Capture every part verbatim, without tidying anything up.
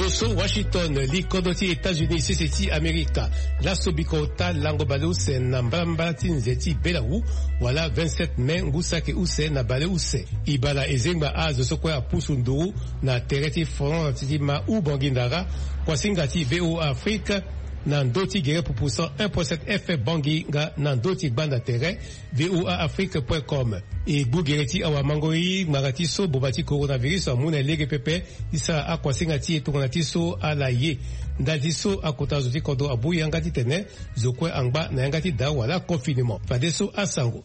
Oso Washington, li kodro ti États-Unis sese ti Amerika. Laso biko ota lango baleuse na mbalambala ti nze ti belawu, wala vingt-sept mai ngu saki use na baleuse. Ibala ezengba azo so kue apusu nduru na tere ti France ti ma u bongi ndara. Kuasinga ti VOA Afrique na ndö ti gere pupu cent un point sept F M bongi nga na ndö ti gbanda tere. VOA Afrique point com. E gbu gere ti awamango i ngbanga ti so boma ti coronavirus amu na lege pepe ti sara akuasinga ti e tongana ti so ala ye. Ndali ti so akota zo ti kodro abu yanga titene zo kue angba na yanga ti da wala confinement. Fadeso asango.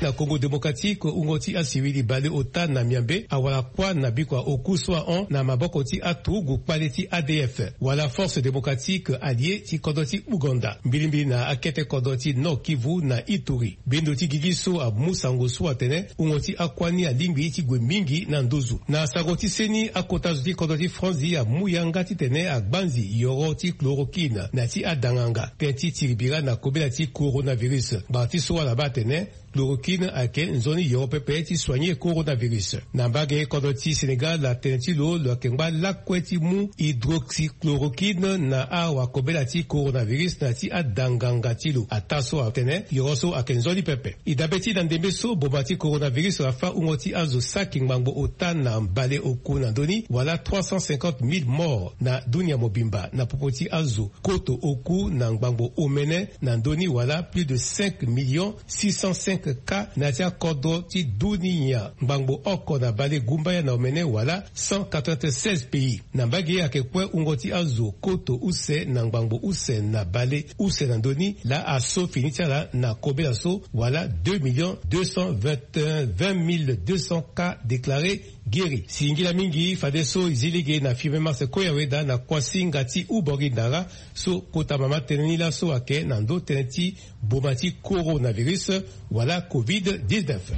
Na Congo Démocratique, wungo ti asiwili baleota na miambe awara kuâ na bikua oku so ahon na maboko ti aturugu kpale ti A D F wala Force Démocratique Alliée ti kodro ti Ouganda, mbilimbili na akete kodro ti Nord Kivu na Ituri. Bendo ti gigi so amu sango so atene wungo ti akuâ ni alingbi ti gue mingi na nduzu. Na sango ti seni, akota zo ti kodro ti France amu yanga titene agbanzi yoro ti chloroquine na ti adanganga tënë ti tiribira na kobela ti coronavirus. Ngbanga ti so ala baa atene chloroquine ayeke nzoni yoro pepe ti soigner coronavirus. Na mbage kodro ti Sénégal, atene ti lo lo yeke ngba lakue ti mu hydroxychloroquine na awakobela ti coronavirus na ti adanganga ti lo. Ataa so atene yoro so ayeke nzoni pepe. E dabe ti na ndembe so boma ti coronavirus afâ wungo ti azo saki ngbangbo ota na mbale oku na ndö ni, wala trois cent cinquante mille morts na dunia mobimba na popo ti azo koto oku na ngbangbo omene na ndö ni, wala plus de cinq millions six cent cinq cas na ya ti akodro ti dunia ngbangbo oko na bale gumbaya na omene, wala cent quatre-vingt-seize pays. Na mbage ayeke kue wungo ti azo koto use na ngbangbo use na bale use na ndö ni laa aso fini ti ala na kobela so, wala deux millions deux cent vingt et un, vingt mille deux cents cas déclarés guéris. Singila mingi fadeso e zi lege na firme Max Koyaweda na kuasinga ti Ubori Ndara so kota mama tënë ni laso ayeke na ndö tënë ti boma ti coronavirus wala covid dix-neuf.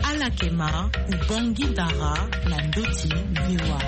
Ala yeke ma Ubongi Ndara na ndö ti VOA.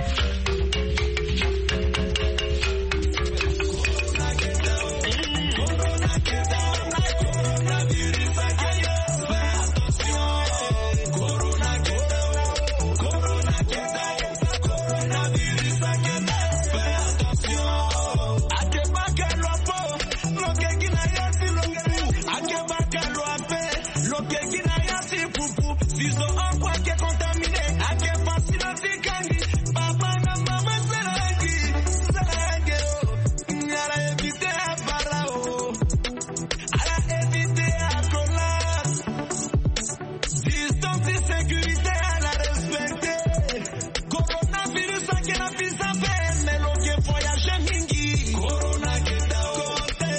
Distance ti sécurité ala respecté. Coronavirus ayeke na visa vert, mais lo yeke voyager mingi. Corona ayeke daa o.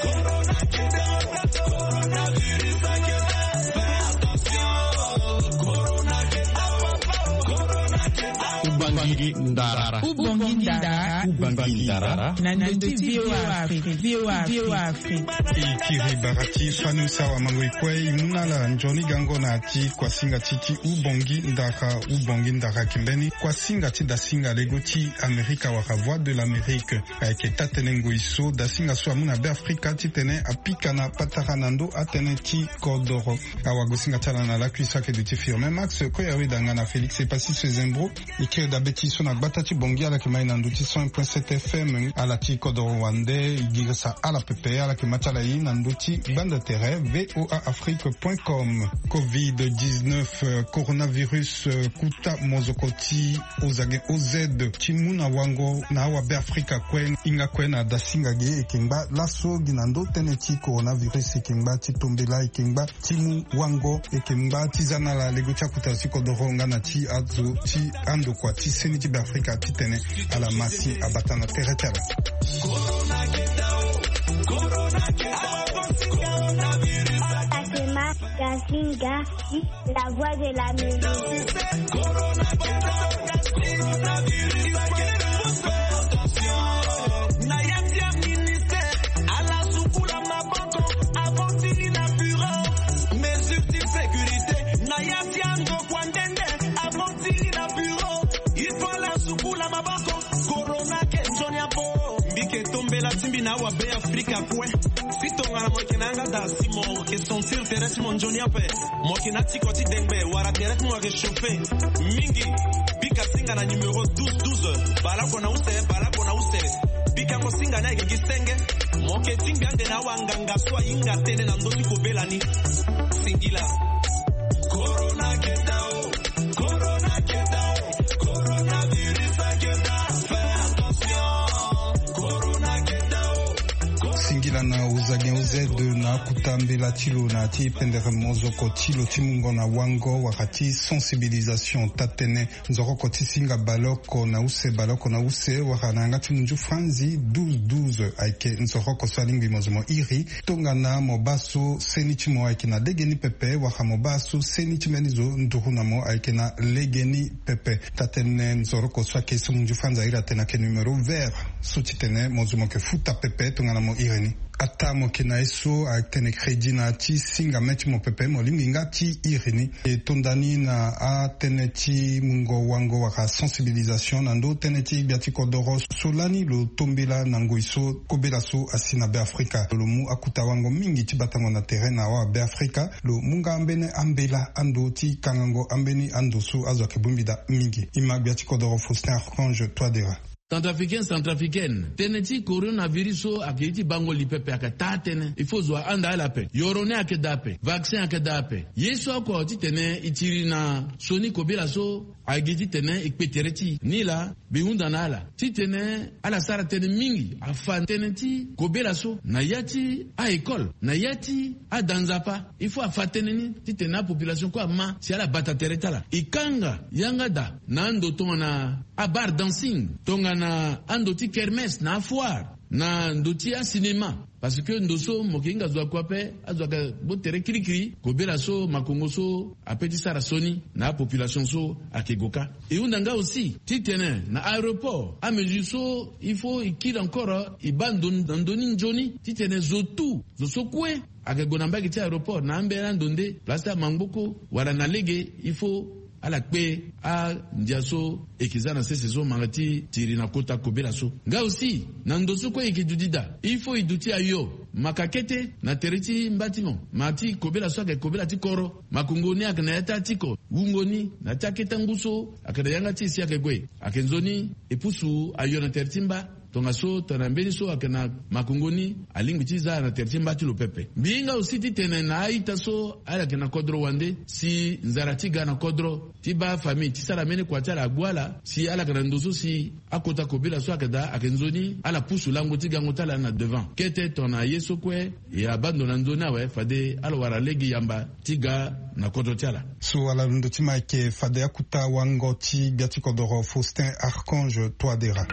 Corona ayeke daa o. Coronavirus ayeke daa. Fais attention. Corona ayeke daa o. Corona ayeke daa o. Ubongi Ndara. Ubongi Ndara. Ubongi Ndara. Na ndö ti VOA Afrique. VOA Afrique. E kiri bara ti fani use awamango e kue, e mu na ala nzoni gango na ya ti kuasinga ti ti Ubongi Ndara. Ubongi Ndara ayeke mbeni kuasinga ti dasinga lego ti Amerika wala Voix de l'Amérique. Ayeke taa-tënë ngoi so dasinga so amu na Beafrika titene apika na patara na ndö atënë ti kodoro. Awagosinga ti ala na lakui so ayeke duti Firmin Max Koyaweda nga na Félix Epassis Sezembro. E kiri dabe ti so na gbata ti Bangui, ala yeke ma e na ndö ti cent un point sept F M. Ala ti kodoro wande e girisa ala pepe. Ala yeke ma ti ala e na ndö ti gbanda tere V O A Afrique point com. Covid dix-neuf, euh, coronavirus, euh, kuta mozoko ti ozage O Z ti mu na wango na awabeafrika kue. Hinga kue na dasinga ge e yeke ngba laso gi na ndö tënë ti coronavirus, e yeke ngba ti tombela, e yeke ngba ti mu wango, e yeke ngba ti za na ala lego ti akota ti kodoro nga na ti azo ti andokua ti seni ti Beafrika titene ala ma si abata na tere ti ala. Atema Gasinga, la voix de l'Amérique. Na ya ti aministère, ala sukula maboko avant ti ni na bureau. Mesure ti sécurité, na ya ti andokua nde nde avant ti ni na bureau. Il faut ala sukula maboko. Corona ke nzoni abo. Mbi ke tombela ti mbi na awabeafrika kue. Si tongana mo yeke na yanga daa si mo ke sentir tere ti mo nzoni ape, mo yeke na tiko ti dengbe wala tere ti mo ayeke chauffer mingi, bika si Nga na numéro douze douze, baleoko na use, baleoko na use. Pikango singa ni ayeke gi senge. Mo yeke tingbi ande na awanganga so ahinga tënë na ndö ti kobela ni. Singila. Corona keta o, corona keta o, coronavirus aketa. Fais attention. Corona keta o. Singila na ozagen oz na akuta mbela ti lo na ti pendere mozoko ti lo ti mungo na wango wala ti sensibilisation. Taa-tënë nzoroko ti singa baleoko na use, baleoko na use wala na yanga ti munzu franzi douze douze ayeke nzoroko so alingbi mo zo mo iri. Tongana mo baa so seni ti mo ayeke na legeni pepe wala mo baa so seni ti mbeni zo nduru na mo ayeke na legeni pepe. Taa-tënë nzoroko so ayeke so munzu franzi airi atene ayeke numéro vert so titene mo zo mo yeke futa pepe tongana mo iri ni. Ataa mo yeke na ye so atene crédit na ya ti singa mê ti mo pepe, mo lingbi nga ti iri ni. E tonda ni na atënë ti mungo wango wala sensibilisation na ndö tënë ti gbia ti kodoro so lani lo to mbela na ngoi so kobela so asi na Beafrika. Lo mu akuta wango mingi ti batango na tere na awa Beafrika. Lo mu nga ambeni ambela ando ti kangango ambeni ando so azo ayeke bongbi daa mingi. E ma gbia ti kodoro Faustin Archange Touadéra. Centrafricain, centrafricaine, tënë ti coronavirus so ayeke ye ti bango li pepe, ayeke taa-tënë. Il faut zo ahanda ala ape. Yoro ni ayeke daa ape. Vaccin ayeke daa ape. Ye so oko titene e tiri na sioni kobela so ayeke gi titene e kpe tere ti e. Nilaa mbi hunda na ala titene ala sara tënë mingi, afa tënë ti kobela so na ya ti a-école, na ya ti ada nzapa. Il faut afa tënë ni titene apopulation kue ama si ala bata tere ti ala. E kanga yanga daa na ando tongana abar dancing, tongana ando ti kermesse na afoire, na ndo ti asinema. Parce que ndo so mo yeke hinga zo akua ape, azo ayeke gbu tere kirikiri. Kobela so makongo so ape ti sara sioni na apopulation so ayeke gue kâ. E hunda nga aussi titene na aéroport amesure so il faut e kiri encore e baa ndo na ndö ni nzoni titene zo tout, zo so kue ayeke gue na mbage ti aéroport na ambeni ando nde place ti amangboko wala na lege, il faut ala kpe andia so e yeke za na sese so manga ti tiri na kota kobela so. Nga aussi na ndo so kue e yeke duti daa, il faut e duti ayo maka kete na tere ti mba ti mo, ma ti kobela so ayeke kobela ti kodro. Makongo ni ayeke na ya ti atiko, wungo ni na ya ti akete ngu so ayeke na yanga ti e si ayeke gue. Ayeke nzoni e pusu ayo na tere ti mba. Tongaso tongana mbeni so ayeke na makongo ni alingbi ti za na tere ti mba ti lo pepe. Mbi hinga aussi titene na a-ita so ala yeke na kodro wande, si nzara ti ga na kodro ti baa famille ti sara mbeni kua ti ala agbu ala, si ala yeke na ndo so si akota kobela so ayeke daa, ayeke nzoni ala pusu lango ti gango ti ala na devant. Kete tongana ye so kue e abaa ndo na nzoni awe, fade ala wara lege yamba ti ga na kodro ti ala. So ala londo ti ma ayeke fade akuta wango ti gbia ti kodoro Faustin Archange Touadéra.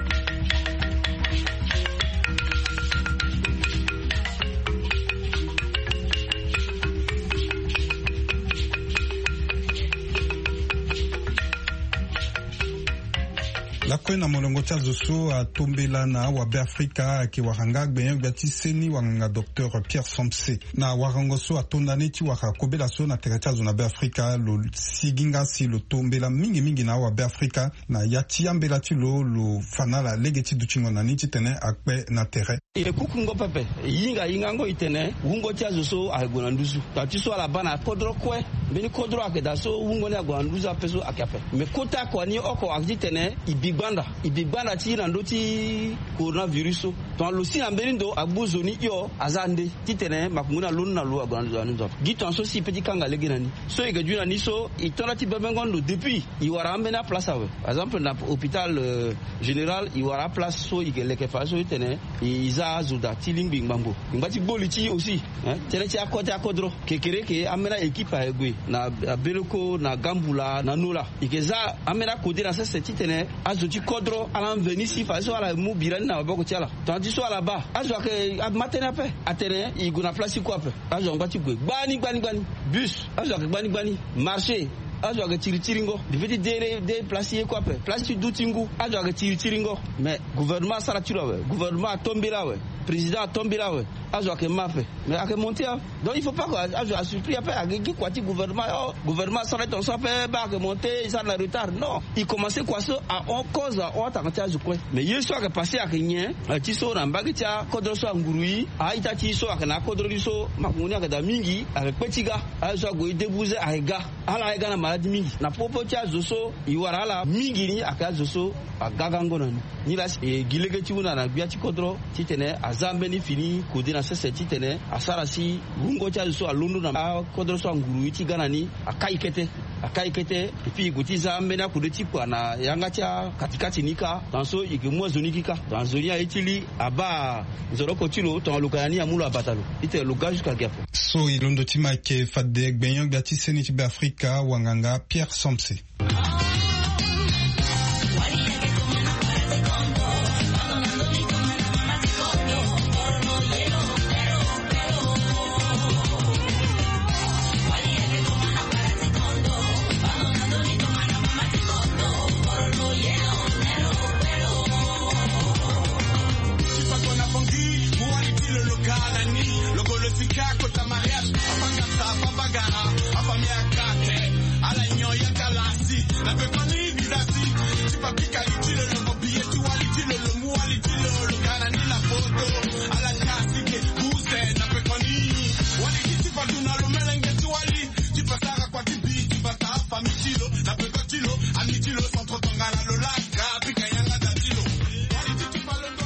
Lakue na molongo ti azo so atombela na awabeafrika ayeke wara nga gbenyo-gbia ti seni wanganga docteur Pierre Somse. Na warango so atonda ni ti wara kobela so na tere ti azo na Beafrika, lo sigi nga si lo tombela mingi mingi na awabeafrika. Na ya ti ambela ti lo, lo fa na ala lege ti dutingo na ni titene akpe na tere. E kukungo pepe, e hinga hingango e tene wungo ti azo so ayeke gue na nduzu. Tongana ti so ala baa na kodro kue, mbeni kodro ayeke daa so wungo ni ague na nduzu ape so ayeke ape. Me kota kua ni oko ayeke titene e bi gbanda, e bi gbanda ti na ndö ti coronavirus so. Tongana lo si na mbeni ndo agbu zo ni hio, aza nde titene makongo ni alondo na lo ague na nduzu. Gi tongana so si e peut ti kanga lege na ni. So e yeke duti na ni so, e to nda ti bebengo ndo depuis e wara ambeni aplace awe. Par exemple na hôpital, euh, général, e wara aplace so e yeke leke fa so e tene e za azo daa ti lingbi ngbangbo. E ngba ti gbo li ti e aussi, hein, tënë ti akota akodro. Kekereke ambeni a-équipe ayeke gue na, na Beleko, na Gambula, na Nola. E yeke za ambeni akode na sese titene azo ti kodro ala mveni si fadeso ala mu bira ni na maboko ti ala. Tongana ti so ala baa, azo ayeke ama tënë ape, atene e gue na place ti kue ape. Azo angba ti gue gbani gbani gbani. Bus, azo ayeke gbani gbani. Marché, azo ayeke tiri tiringo. Mbi feti de, de place ti ye kue ape, place ti du ti ngu, azo ayeke tiri tiringo. Mais gouvernement asara ti lo awe, gouvernement atombela awe. Président atombela awe. Azo ayeke ma ape. Mais ayeke monté a. Donc il faut pas que azo asupli ape ayeke gi kua ti gouvernement. Oh, gouvernement asara tonso ape ba ayeke monté, e sara na retard. Non, e commencé kua so ahon cause ahon atanga ti azo kue. Mais ye so ayeke passé ayeke nyen? Ti so na mbage ti akodro so anguru e, a-ita ti e so ayeke na akodro ni so makongo ni ayeke daa mingi, ayeke kpe ti ga. Azo so ague e débouze ayeke ga. Ala ayeke ga na maladie mingi na popo ti azo so e wara ala mingi ni ayeke azo so aga gango na ni. Nilaa si e gi lege ti hunda na gbia ti kodro titene aza ambeni fini kode na sese titene asara si wungo ti azo so alondo na akodro so anguru e ti ga na ni akai kete. Akai kete. Epui e gue ti za ambeni akode ti kua na yanga ti akatikati ni kâ. Tongaso e ke mu azo ni gi kâ. Tongaso ni aye ti li abaa nzoroko ti lo, tongana lo ka na ni amu lo abata lo titene lo ga jusqu'à gi ape. So e londo ti ma ayeke fade gbenyo-gbia ti seni ti Be Afrika, wanganga Pierre Somse.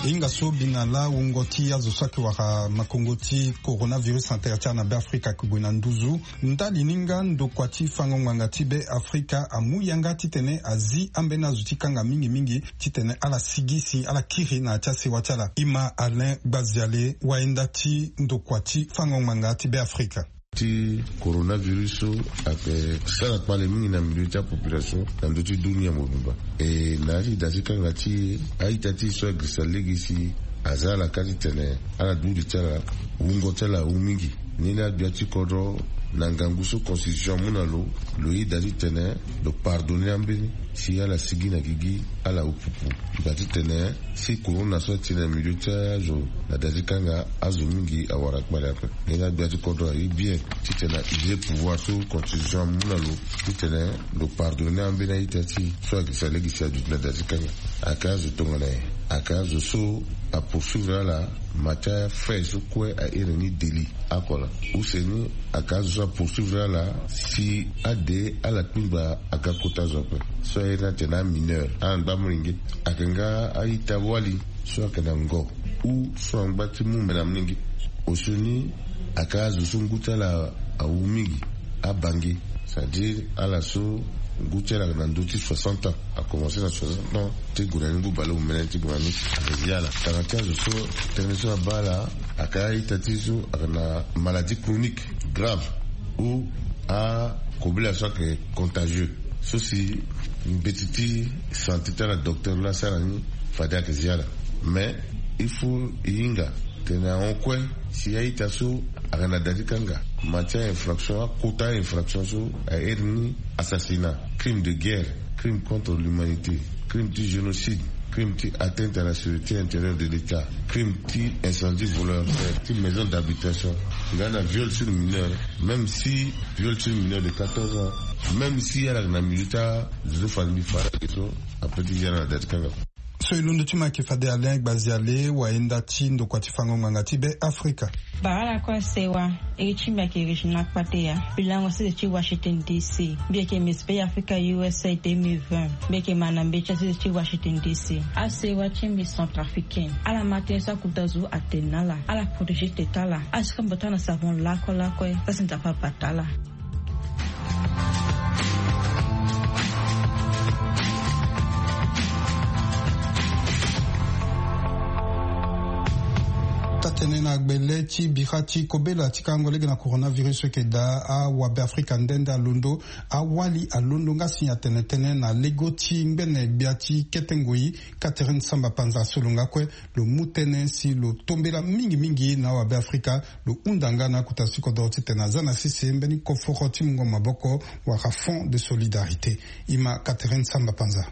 Hinga so bi na laa wungo ti azo so ayeke wara makongo ti coronavirus na tere ti ala na Be Afrika ayeke gue na nduzu. Ndali ni nga, ndokua ti fango ngbanga ti Be Afrika amu yanga titene azi ambeni azo ti kanga mingi mingi titene ala sigi si ala kiri na ya ti asewa ti ala. Ima Alain Gbaziale, wayenda ti ndokua ti fango ngbanga ti Be Afrika. Ti coronavirus so ayeke sara kpale mingi na milieu ti apopulation na ndö ti dunia mobimba. E na ya ti da ti kanga ti e, a-ita ti e so agirisa lege si aza ala ka titene ala duti ti ala, wungo ti ala awu mingi. Ni laa gbia ti kodro na ngangu so constitution amu na lo, lo yeda titene lo pardonner ambeni si ala sigi na gigi, ala wu pupu. Ngba titene si corona so ati na milieu ti azo na da ti kanga, azo mingi awara kpale ape. Ni laa gbia ti kodro aye bien titene a user pouvoir so constitution amu na lo titene lo pardonner ambeni a-ita ti e so agirisa lege si aduti na da ti kanga. Ayeke azo tongana nyen? Ayeke azo so apoursuivre ala ma ti afait so kue a iri ni délit. Akola use ni, ayeke azo so apoursuivre ala si ade ala kpingba aga kota zo ape. So a iri ni atene amineur, ala ngba molenge. Ayeke nga a-ita wali so ayeke na ngo ou so angba ti mu mbe na molenge. Osioni, ayeke azo so ngu ti ala awu mingi, abange. C'est-à-dire ala so ngu ti ala ayeke na ndö ti soixante ans, akomanse na soixante ans ti gue na ni ngu baleomene ti gue na ni. Ayeke zi ala. Tanga ti azo so tënë so abaa ala ayeke a-ita ti e so ayeke na maladie chronique grave ou akobela so ayeke contagieux, so si mbeti ti santé ti ala, docteur laa asara ni, fade ayeke zi ala. Mais il faut e hinga tene ahon kue si a-ita so ayeke na da ti kanga ma ti a-infraction, akota a-infraction so a iri ni assassinat, crime de guerre, crime contre l'humanité, crime ti génocide, crime ti atteinte à la sûreté intérieure de l'État, crime ti incendie volontaire ti maison d'habitation, nga na viol sur mineur. Même si viol sur mineur de quatorze ans, même si ala yeke na milieu ti azo so fade mbi fa na ge so, ape ti zi ala na da ti kanga. So e londo ti ma ayeke fade Alain Gbaziale, wayenda ti ndokua ti fango ngbanga ti Be Afrika. Baa ala kue asewa. Iri ti mbi ayeke Regina Kpateya. Mbi lango sese ti Washington D C. Mbi yeke Miss Be Africa U S A deux mille vingt. Mbi yeke ma na mbeti asese ti Washington D C. Asewa ti mbi centrafricain, ala ma tënë so akota zo atene na ala, ala protéger tete ala. Ala sika mbi bata na savon lakue lakue, za si Nzapa abata ala. Taa-tënë na gbele ti bira ti kobela ti karango lege na coronavirus so yeke daa awabe Afrika nde nde alondo. Awali alondo nga si atene tënë na lego ti ngbene gbia ti kete ngoi, Catherine Samba Panza, so lo nga kue lo mu tënë si lo tombela mingi mingi na awabe Afrika. Lo hunda nga na akota ti kodoro titene aza na sese mbeni koforo ti mungo maboko wala fonds de solidarité. Ima Catherine Samba Panza.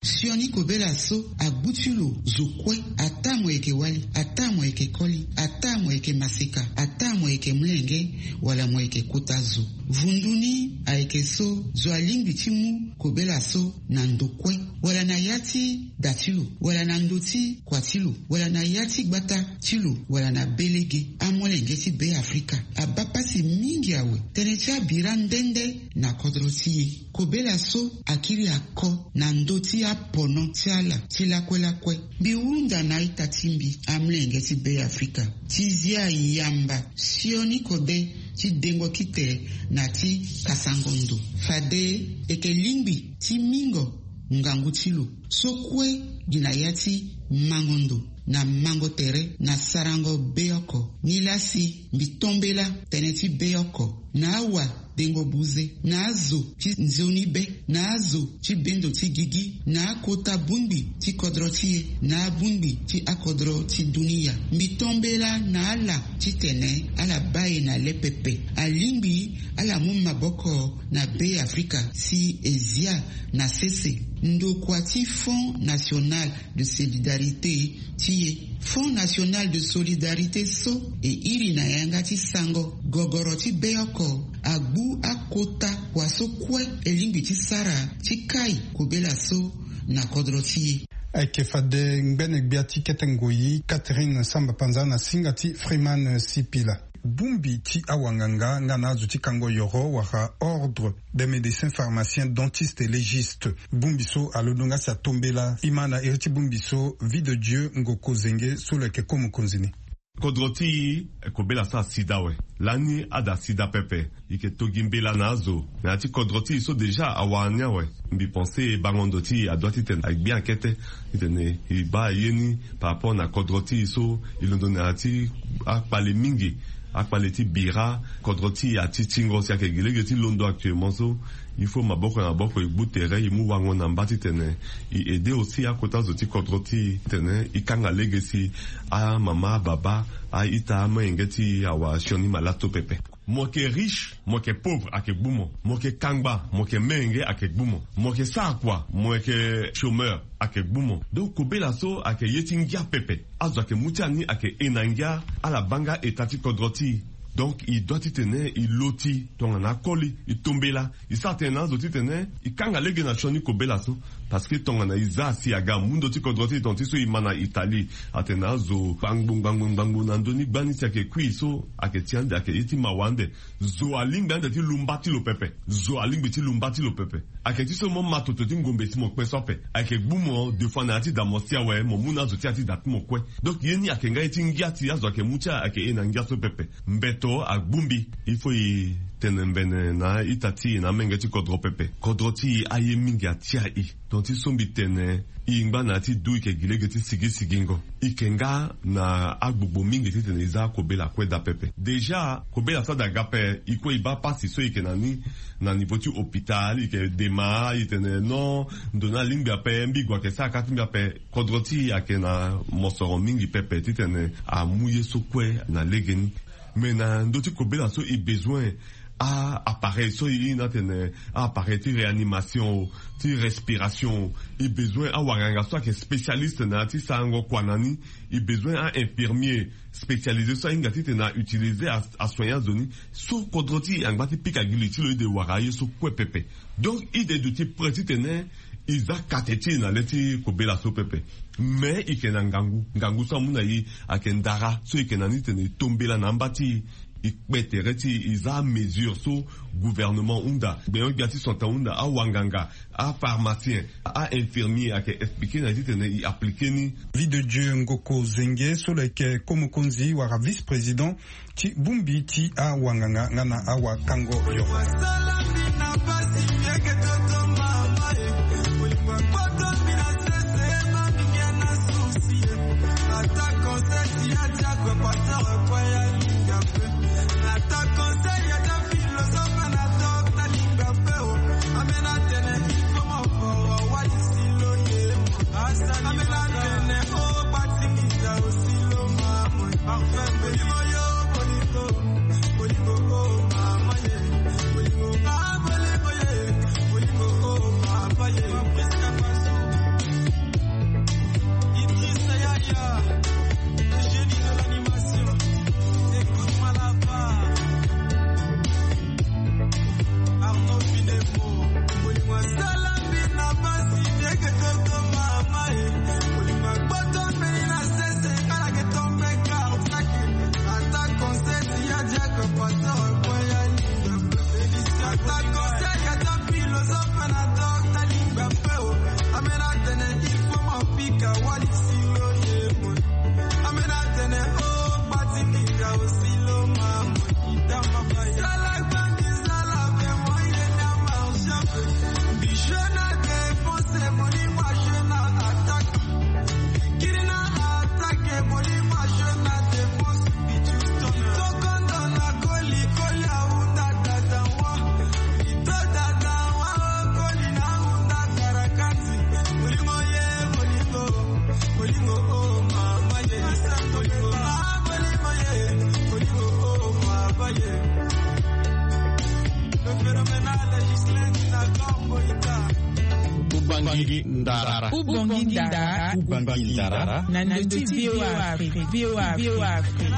Sioni kobela so agbu ti lo zo kue, ataa mo yeke wali, ataa mo yeke koli, ataa mo yeke maseka, ataa mo yeke molenge, wala mo yeke kota zo. Vundu ni ayeke so zo alingbi ti mu kobela so na ndo kue, wala na ya ti da ti lo, wala na ndo ti kua ti lo, wala na ya ti gbata ti lo, wala na be lege. Amolenge ti Be Afrika abaa pasi mingi awe tënë ti abira nde nde na kodro ti e. Kobela so akiri ako na ndö ti apono ti ala ti lakue lakue. Mbi hunda na a-ita ti mbi, amolenge ti Be Afrika, ti zia yamba sioni kode ti dengo kite na ti kasango ndo. Fade e yeke lingbi ti mingo ngangu ti lo so kue gi na ya ti mango ndo na mango tere na sarango be oko. Nilaa si mbi tombela tënë ti be oko na awa dengo buze, na azo ti nzoni be, na azo ti bendo ti gigi, na akota bongbi ti kodro ti e, na abongbi ti akodro ti dunia. Mbi tombela na ala titene ala baa e na le pepe. Alingbi ala mu maboko na Be Afrika si e zia na sese ndokua ti Fonds National de Solidarité ti e. Fonds National de Solidarité so e iri na yanga ti sango gogoro ti be oko agbu akota kua so kue e lingbi ti sara ti kai kobela so na kodro ti e. Ayeke fade ngbene gbia ti kete ngoi Catherine Samba Panza na singa ti Freeman Sipila. Bongbi ti awanganga nga na azo ti kango yoro wala ordre des médecins pharmaciens dentistes et légistes. Bongbi so alondo nga si atombela e ma na iri ti bongbi so Vie de Dieu Ngoko Zenge so lo yeke ko mokonzi ni. Kodro ti e, kobela so asida awe. Lani ada sida pepe. E yeke to gi mbela na azo na ya ti kodro ti e so déjà awara ni awe. Mbi pense bango ndo ti e adoit titene agbi akete titene e baa ye ni par rapport na kodro ti e so e londo na ya ti akpale mingi. Akpale ti bira, kodro ti e ati tingo si ayeke gi lege ti londo actuellement so. Il faut maboko na maboko e gbu tere, e mu wango na mba titene e aider aussi akota zo ti kodro ti e titene e kanga lege si amama, ababa, a-ita, amolenge ti e awara sioni malato pepe. Mo yeke riche, mo yeke pauvre, ayeke gbu mo. Mo yeke kangba, mo yeke menge, ayeke gbu mo. Mo yeke sara kua, mo yeke chômeur, ayeke gbu mo. Donc kobela so ayeke ye ti ngia pepe. Azo ayeke mu ti ani ayeke e na ngia, ala baa nga eta ti kodro ti e. Donc e doit titene e loti tongana akoli, e tombela, e sara tënë na azo titene e kanga lege na sioni kobela so. Parce que tongana e za si aga amu ndo ti kodro ti e, tongana ti so e ma na Italie, atene azo ngbangbo ngbangbo ngbangbo na ndö ni gbani si ayeke kui so, ayeke ti ande, ayeke ye ti mawa ande. Zo alingbi ande ti lu mba ti lo pepe. Zo alingbi ti lu mba ti lo pepe. Ayeke ti so mo ma toto ti ngombe si mo kpe so ape. Ayeke gbu mo deux fois na ya ti da mo si awe, mo mu na azo ti ya ti da ti mo kue. Donc ye ni ayeke nga ye ti ngia ti azo ayeke mu ti ala ayeke e na ngia so pepe. Mbeto agbu mbi. Il faut e tene mbene na a-ita ti e na amenge ti kodro pepe. Kodro ti e aye mingi atia e. Tongana ti so mbi tene, e ngba na ya ti du, e yeke gi lege ti sigi sigingo. E yeke nga na agbogbo mingi titene e za akobela kue daa pepe. Déjà kobela so ada ga ape, e kue e baa pasi so e yeke na ni na niveau ti hôpital, e yeke dema, e tene non, ndo ni alingbi ape, mbi gue ayeke sara kâ ti mbi ape. Kodro ti e ayeke na mosoro mingi pepe titene amu ye so kue na legeni. Mais na ndö ti kobela so e bezoin a-appareil so e hiri ni atene a-appareil ti réanimation o, ti respiration o. E bezoin awanganga so ayeke spécialiste na ya ti sarango kua na ni. E bezoin a-infirmier spécialisé so ahinga titene a-utiliser a, asoigner azo ni. So kodro ti e angba ti pika gi li ti lo, e de wara aye so kue pepe. Donc e de duti prêt titene e za kate ti e na le ti kobela so pepe. Mais e yeke na ngangu, ngangu so amu na e ayeke ndara so e yeke na ni titene e tombela na amba ti e, e kpe tere ti e, e za amesure so gouvernement hunda, gbenyo-gbia ti santa hunda, awanganga, apharmacien, a-infirmier ayeke expliquer na e titene e appliquer ni. Vie de Dieu Ngoko Zenge so lo yeke ko mokonzi wala vice-président ti bongbi ti awanganga nga na awakango yo. Ndara. Ubongi ndara. Ubongi ndara. Na ndö ti V O A Afrique. V O A Afrique.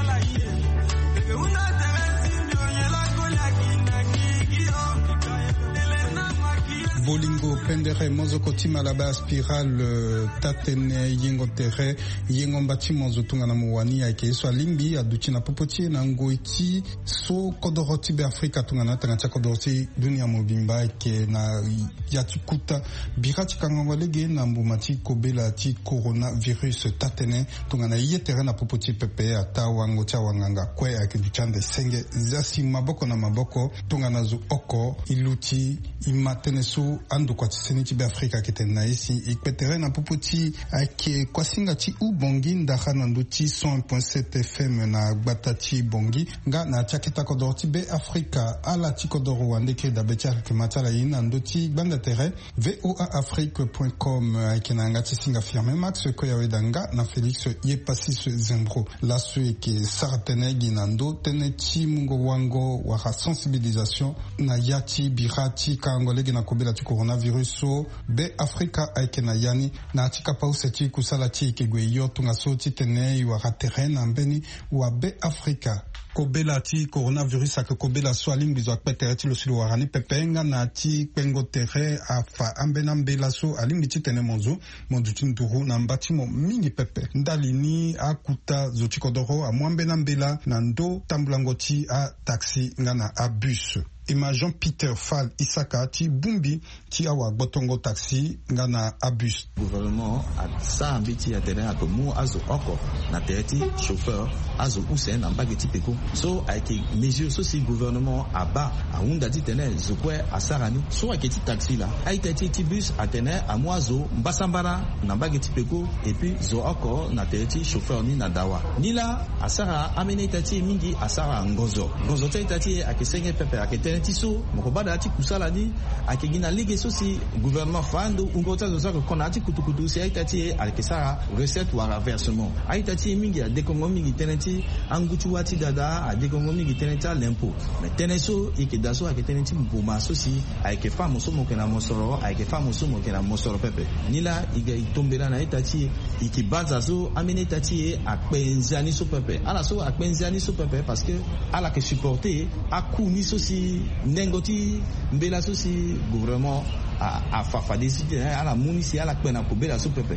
Bolingo pendere mozoko ti Malabar Spiral, eh, tatene yengo tere, yengo mba ti mozo tongana mo wani ayeke ye so alingbi aduti na popo ti e na ngoi ti so kodoro ti Be Afrika tongana tanga ti akodoro ti dunia mobimba ayeke na ya ti kuta bira ti kangango lege na mbuma ti kobela ti coronavirus. Tatene tongana ye tere na popo ti pepe ataa wango ti awanganga kue ayeke duti ande senge zia si maboko na maboko tongana zo oko e luti e ma tënë so andokua ti seni ti Be Afrika ayeke tene na ye si e kpe tere na popo ti ayeke kuasinga ti Ubongi ndara na ndö ti cent un point sept F M na gbata ti Bongi nga na ya ti aketa kodoro ti Be Afrika. Ala ti kodoro wande kiri dabe ti ayeke ma ti ala ye ni na ndö ti gbanda tere V O A Afrique point com, eh, ayeke na yanga ti singa Firmin Max Koyaweda nga na Félix Yepassis Zembro. Laso e yeke sara tënë gi na ndö tënë ti mungo wango wala sensibilisation na ya ti bira ti kango lege na kobela ti coronavirus so Be Afrika ayeke na ya ni. Na ya ti kapa use ti kusala ti e yeke gue yo tongaso titene e wara tere na mbeni wa Be Afrika. Kobela ti coronavirus ayeke kobela so alingbi zo akpe tere ti lo si lo wara ni pepe nga na ya ti kpengo tere afa ambeni ambela so alingbi titene mo zo mo duti nduru na mba ti mo mingi pepe. Ndali ni akuta zo ti kodoro amu ambeni ambela na ndö tambulango ti ataxi nga na abus. E ma Jean Peter Fall Isaka ti bongbi ti awagbotongo taxi nga na abus. Gouvernement asara mbeti atene ake mu azo oko na tere ti chauffeur, azo use na mbage ti peko. So ayeke mesure so si gouvernement abaa ahunda titene zo kue asara ni. So ayeke ti taxi laa, a-ita ti e ti bus atene amu azo mbasambara na mbage ti peko, et puis zo oko na tere ti chauffeur ni na dawa. Nilaa asara ambeni a-ita ti e mingi asara ngonzo. Ngonzo ti a-ita ti e ayeke senge pepe, ayeke tënë ti so mo ko baa na ya ti kusala ni ayeke gi na lege so si gouvernement afa ando wungo ti azo so ayeke ko na ya ti kutukutu si a-ita ti e ayeke sara recette wala versement. A-ita ti e mingi adekongo mingi tënë ti angu ti wâ ti dada, adekongo mingi tënë ti alempo. Me tënë so e yeke daa so ayeke tënë ti mboma so si ayeke fâ mo so mo yeke na mosoro, ayeke fâ mo so mo yeke na mosoro pepe. Nilaa e ga e tombela na a-ita ti e, e yeke banza so ambeni a-ita ti e akpe nzia ni so pepe. Ala so akpe nzia ni so pepe parce que ala yeke supporter aku ni so si nengo ti mbela so si gouvernement a, afa fade si titene ala mu ni si ala kpe na kobela so pepe.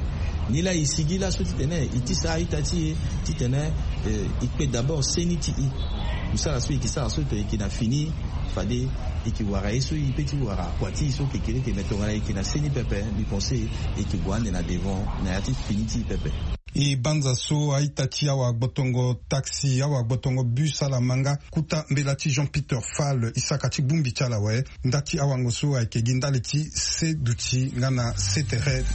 Nilaa e sigi laso titene e tisa a-ita ti e titene, eh, e kpe d'abord seni ti e. Kusala so e yeke sara so e yeke na fini, fade e yeke wara ye so e peut ti wara kua ti e so kekereke, me tongana e yeke na seni pepe, mbi pense e yeke gue ande na devant na ya ti fini ti e pepe. E banza so a-ita ti awagbotongo taxi, awagbotongo bus ala ma nga kuta mbela ti Jean Peter Fall Isaka ti bongbi ti ala awe. Nda ti awango so ayeke gi ndali ti se duti nga na se tere.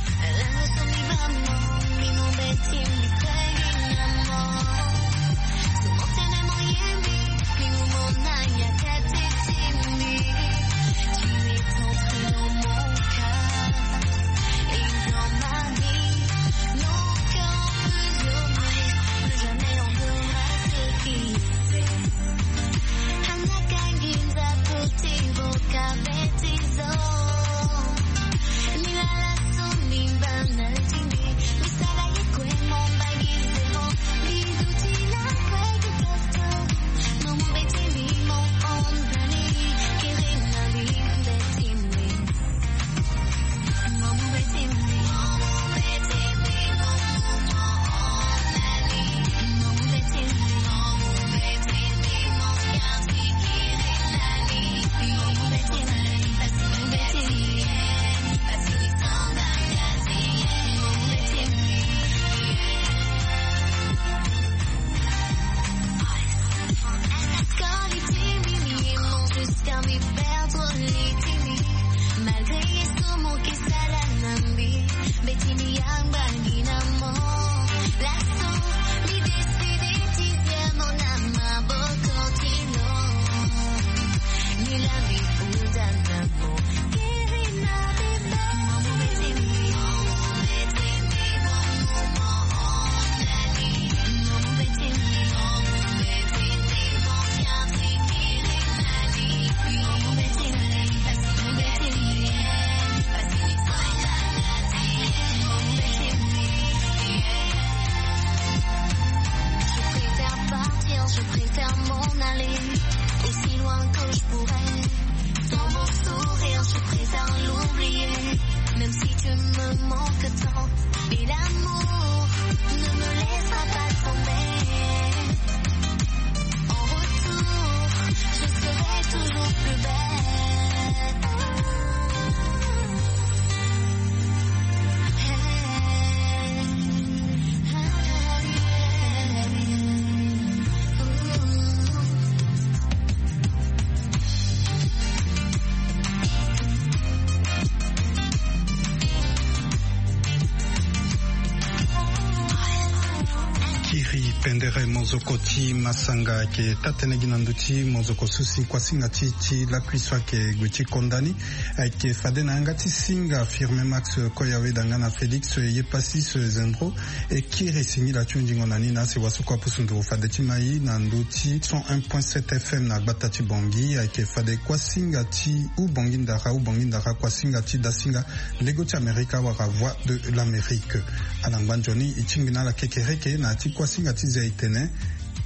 Pendere mozoko ti masanga ayeke taa-tënë gi na ndö ti mozoko so si kuasinga ti ti lakui so ayeke gue ti konda ni. Ayeke fade na yanga ti singa Firmin Max Koyawe danga na Félix Yepassis Zendro. E kiri singila ti hunzingo na ni na asi wasoko apusu nduru fade ti mai na ndö ti cent un point sept F M na gbata ti Bangui. Ayeke fade kuasinga ti Ubangui Ndara, Ubangui Ndara, kuasinga ti dasinga Lego ti Amerika wala Voix de l'Amérique. Ala ngba nzoni e tingbi na ala kekereke na ya ti kuasinga ti zia etene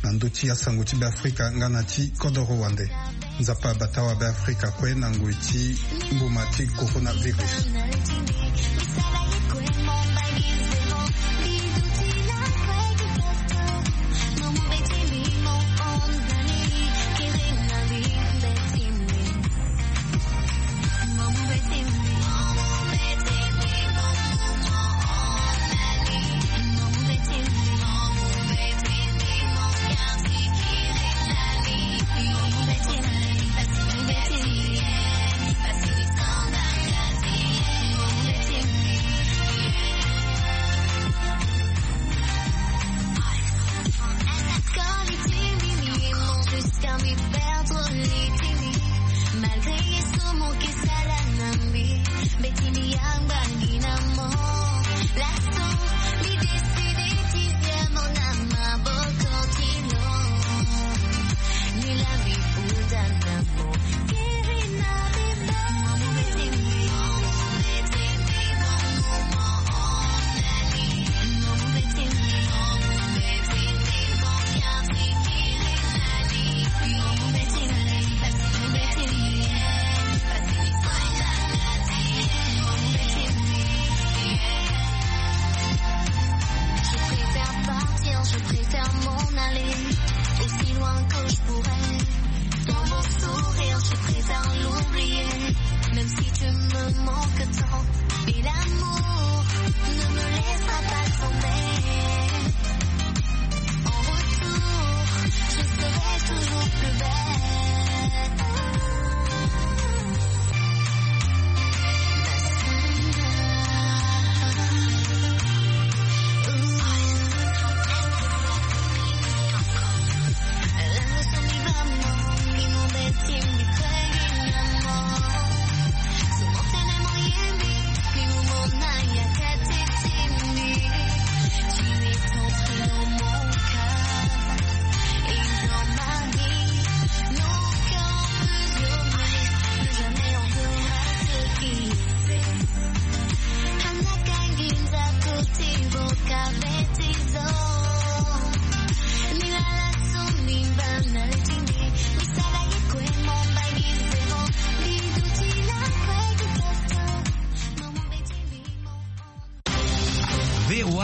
na ndö ti asango ti Beafrika nga na ti kodoro wande. Nzapa abata wa Beafrika kue na ngoi ti mbuma ti coronavirus. Je préfère partir, je préfère m'en aller aussi loin que je pourrais. Dans mon sourire, je préfère l'oublier, même si tu me manques tant. Et l'amour ne me laissera pas tomber. En retour, je serai toujours plus belle.